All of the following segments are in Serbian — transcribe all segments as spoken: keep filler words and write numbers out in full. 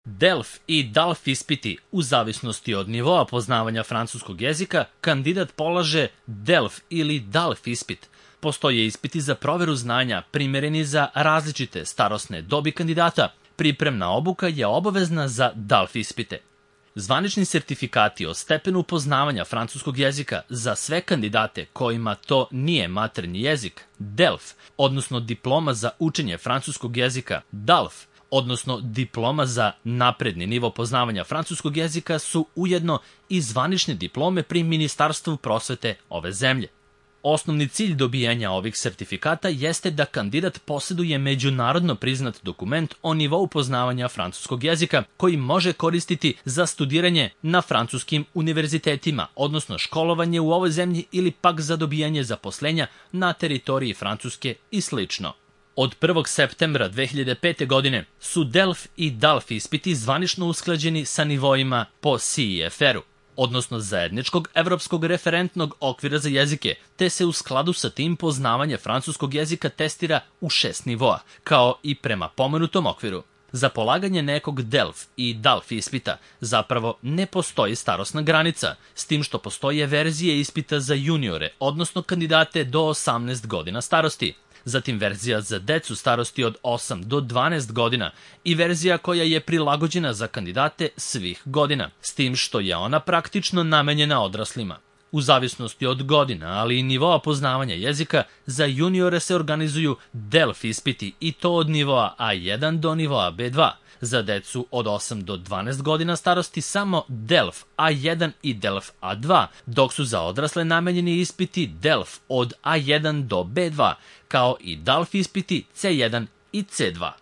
DELF i DALF ispiti, u zavisnosti od nivoa poznavanja francuskog jezika, kandidat polaže DELF ili DALF ispit. Postoje ispiti za proveru znanja primereni za različite starosne dobi kandidata. Pripremna obuka je obavezna za DALF ispite. Zvanični sertifikati o stepenu poznavanja francuskog jezika za sve kandidate kojima to nije maternji jezik, DELF, odnosno diploma za učenje francuskog jezika, DALF, odnosno diploma za napredni nivo poznavanja francuskog jezika, su ujedno i zvanične diplome pri Ministarstvu prosvete ove zemlje. Osnovni cilj dobijanja ovih sertifikata jeste da kandidat posjeduje međunarodno priznat dokument o nivou poznavanja francuskog jezika koji može koristiti za studiranje na francuskim univerzitetima, odnosno školovanje u ovoj zemlji ili pak za dobijanje zaposlenja na teritoriji Francuske i slično. Od prvog septembra dve hiljade pete. godine su DELF i DALF ispiti zvanično usklađeni sa nivoima po C E F R-u, odnosno zajedničkog evropskog referentnog okvira za jezike, te se u skladu sa tim poznavanje francuskog jezika testira u šest nivoa, kao i prema pomenutom okviru. Za polaganje nekog DELF i DALF ispita zapravo ne postoji starosna granica, s tim što postoje verzije ispita za juniore, odnosno kandidate do osamnaest godina starosti, zatim verzija za decu starosti od osam do dvanaest godina i verzija koja je prilagođena za kandidate svih godina, s tim što je ona praktično namenjena odraslima. U zavisnosti od godina, ali i nivoa poznavanja jezika, za juniore se organizuju DELF ispiti i to od nivoa A jedan do nivoa B dva. Za decu od osam do dvanaest godina starosti samo DELF A jedan i DELF A dva, dok su za odrasle namenjeni ispiti DELF od A jedan do B dva, kao i DALF ispiti C jedan i C dva.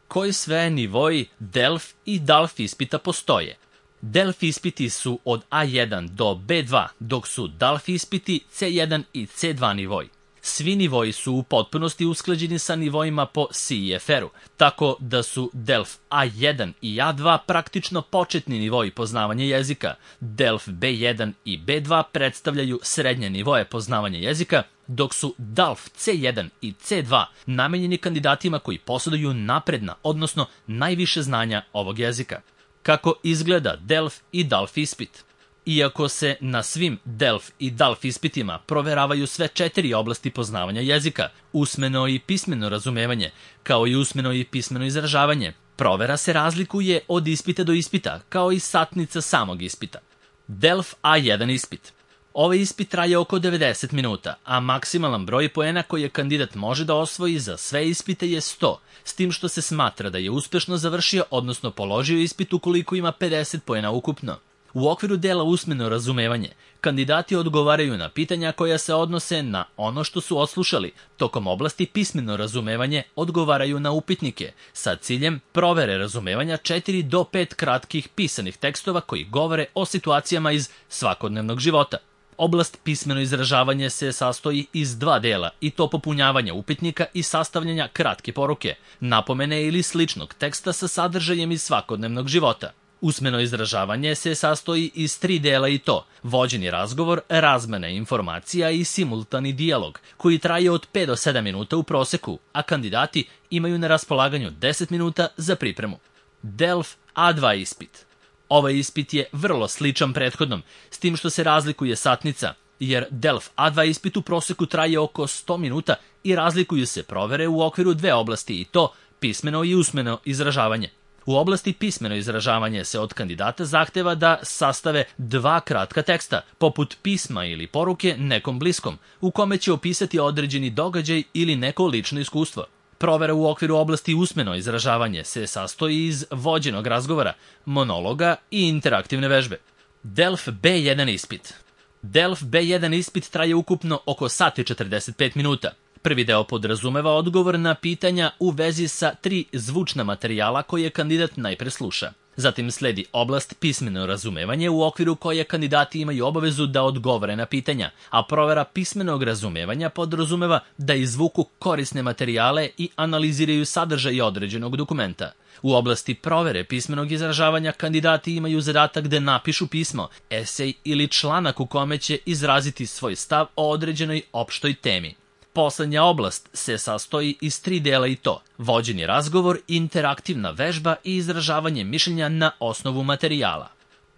Koji sve nivoji DELF i DALF ispita postoje? DELF ispiti su od A jedan do B dva, dok su DALF ispiti C jedan i C dva nivoji. Svi nivoji su u potpunosti usklađeni sa nivoima po C E F R-u, tako da su DELF A jedan i A dva praktično početni nivoji poznavanja jezika, DELF B jedan i B dva predstavljaju srednje nivoje poznavanja jezika, dok su DALF C jedan i C dva namenjeni kandidatima koji posjeduju napredna, odnosno najviše znanja ovog jezika. Kako izgleda DELF i DALF ispit? Iako se na svim DELF i DALF ispitima proveravaju sve četiri oblasti poznavanja jezika, usmeno i pismeno razumevanje, kao i usmeno i pismeno izražavanje, provera se razlikuje od ispita do ispita, kao i satnica samog ispita. DELF A jedan ispit. Ovaj ispit traje oko devedeset minuta, a maksimalan broj poena koje kandidat može da osvoji za sve ispite je sto, s tim što se smatra da je uspešno završio, odnosno položio ispit ukoliko ima pedeset poena ukupno. U okviru dela usmeno razumevanje, kandidati odgovaraju na pitanja koja se odnose na ono što su odslušali, tokom oblasti pismeno razumevanje odgovaraju na upitnike, sa ciljem provere razumevanja četiri do pet kratkih pisanih tekstova koji govore o situacijama iz svakodnevnog života. Oblast pismeno izražavanje se sastoji iz dva dela, i to popunjavanja upitnika i sastavljanja kratke poruke, napomene ili sličnog teksta sa sadržajem iz svakodnevnog života. Usmeno izražavanje se sastoji iz tri dela, i to vođeni razgovor, razmena informacija i simultani dijalog, koji traje od pet do sedam minuta u proseku, a kandidati imaju na raspolaganju deset minuta za pripremu. DELF A dva ispit. Ovaj ispit je vrlo sličan prethodnom, s tim što se razlikuje satnica, jer DELF A dva ispit u proseku traje oko sto minuta i razlikuju se provere u okviru dve oblasti, i to pismeno i usmeno izražavanje. U oblasti pismeno izražavanje se od kandidata zahteva da sastave dva kratka teksta, poput pisma ili poruke nekom bliskom, u kome će opisati određeni događaj ili neko lično iskustvo. Provera u okviru oblasti usmeno izražavanje se sastoji iz vođenog razgovora, monologa i interaktivne vežbe. DELF B jedan ispit. DELF B jedan ispit traje ukupno oko sat i četrdeset pet minuta. Prvi deo podrazumeva odgovor na pitanja u vezi sa tri zvučna materijala koje kandidat najpre sluša. Zatim sledi oblast pismeno razumevanje, u okviru koje kandidati imaju obavezu da odgovore na pitanja, a provera pismenog razumevanja podrazumeva da izvuku korisne materijale i analiziraju sadržaj određenog dokumenta. U oblasti provere pismenog izražavanja kandidati imaju zadatak da napišu pismo, esej ili članak u kome će izraziti svoj stav o određenoj opštoj temi. Poslednja oblast se sastoji iz tri dela i to: vođeni razgovor, interaktivna vežba i izražavanje mišljenja na osnovu materijala.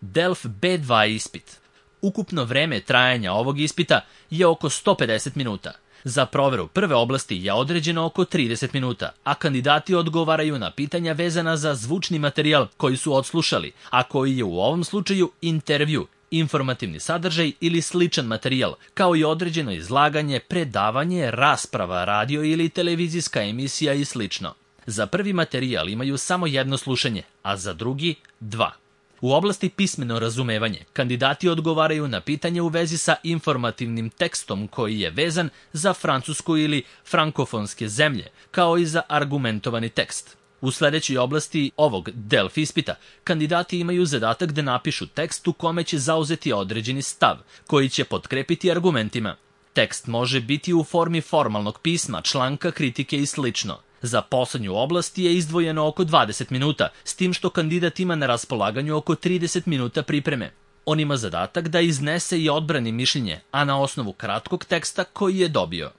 Delf B dva ispit. Ukupno vreme trajanja ovog ispita je oko sto pedeset minuta. Za proveru prve oblasti je određeno oko trideset minuta, a kandidati odgovaraju na pitanja vezana za zvučni materijal koji su odslušali, a koji je u ovom slučaju intervju, informativni sadržaj ili sličan materijal, kao i određeno izlaganje, predavanje, rasprava, radio ili televizijska emisija i slično. Za prvi materijal imaju samo jedno slušanje, a za drugi dva. U oblasti pismeno razumevanje, kandidati odgovaraju na pitanje u vezi sa informativnim tekstom koji je vezan za Francusku ili frankofonske zemlje, kao i za argumentovani tekst. U sledećoj oblasti ovog Delf ispita, kandidati imaju zadatak da napišu tekst u kome će zauzeti određeni stav, koji će potkrepiti argumentima. Tekst može biti u formi formalnog pisma, članka, kritike i slično. Za poslednju oblast je izdvojeno oko dvadeset minuta, s tim što kandidat ima na raspolaganju oko trideset minuta pripreme. On ima zadatak da iznese i odbrani mišljenje, a na osnovu kratkog teksta koji je dobio.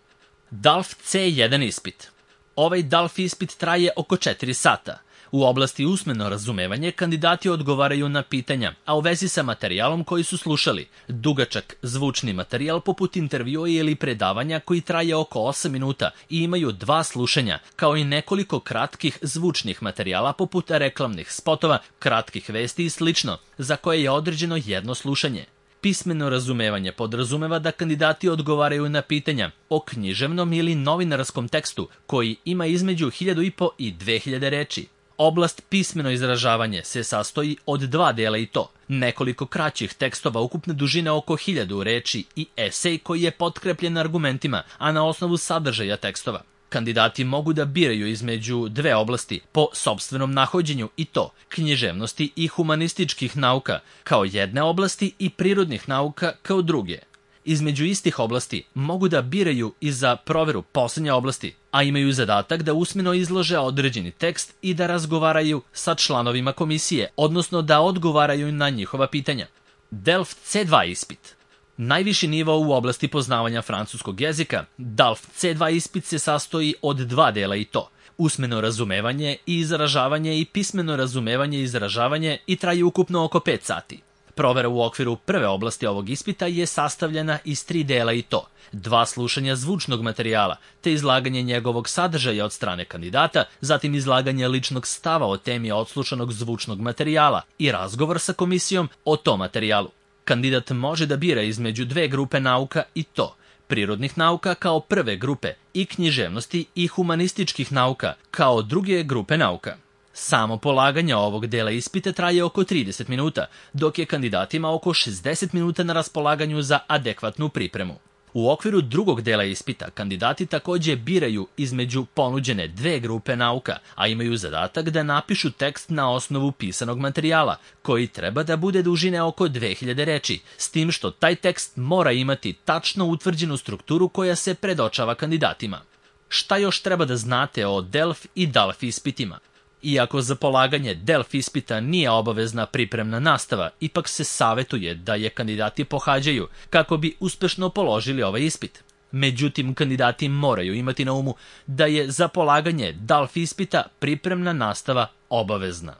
Delf C jedan ispit. Ovaj Delf ispit traje oko četiri sata. U oblasti usmeno razumevanje kandidati odgovaraju na pitanja, a u vezi sa materijalom koji su slušali, dugačak zvučni materijal poput intervjua ili predavanja koji traje oko osam minuta i imaju dva slušanja, kao i nekoliko kratkih zvučnih materijala poput reklamnih spotova, kratkih vesti i slično, za koje je određeno jedno slušanje. Pismeno razumevanje podrazumeva da kandidati odgovaraju na pitanja o književnom ili novinarskom tekstu koji ima između hiljadu i po i dve hiljade reči. Oblast pismeno izražavanje se sastoji od dva dela i to: nekoliko kraćih tekstova ukupne dužine oko hiljadu reči i esej koji je potkrepljen argumentima, a na osnovu sadržaja tekstova. Kandidati mogu da biraju između dve oblasti po sopstvenom nahođenju i to: književnosti i humanističkih nauka kao jedne oblasti i prirodnih nauka kao druge. Između istih oblasti mogu da biraju i za proveru poslednje oblasti, a imaju zadatak da usmeno izlože određeni tekst i da razgovaraju sa članovima komisije, odnosno da odgovaraju na njihova pitanja. Delf C dva ispit. Najviši nivo u oblasti poznavanja francuskog jezika, Delf C dva ispit se sastoji od dva dela i to: usmeno razumevanje i izražavanje i pismeno razumevanje i izražavanje i traje ukupno oko pet sati. Provera u okviru prve oblasti ovog ispita je sastavljena iz tri dela i to: dva slušanja zvučnog materijala, te izlaganje njegovog sadržaja od strane kandidata, zatim izlaganje ličnog stava o temi odslušanog zvučnog materijala i razgovor sa komisijom o tom materijalu. Kandidat može da bira između dve grupe nauka i to: prirodnih nauka kao prve grupe i književnosti i humanističkih nauka kao druge grupe nauka. Samo polaganje ovog dela ispita traje oko trideset minuta, dok je kandidatima oko šezdeset minuta na raspolaganju za adekvatnu pripremu. U okviru drugog dela ispita kandidati takođe biraju između ponuđene dve grupe nauka, a imaju zadatak da napišu tekst na osnovu pisanog materijala, koji treba da bude dužine oko dve hiljade reči, s tim što taj tekst mora imati tačno utvrđenu strukturu koja se predočava kandidatima. Šta još treba da znate o Delf i Delf ispitima? Iako za polaganje Delf ispita nije obavezna pripremna nastava, ipak se savetuje da je kandidati pohađaju kako bi uspešno položili ovaj ispit. Međutim, kandidati moraju imati na umu da je za polaganje Delf ispita pripremna nastava obavezna.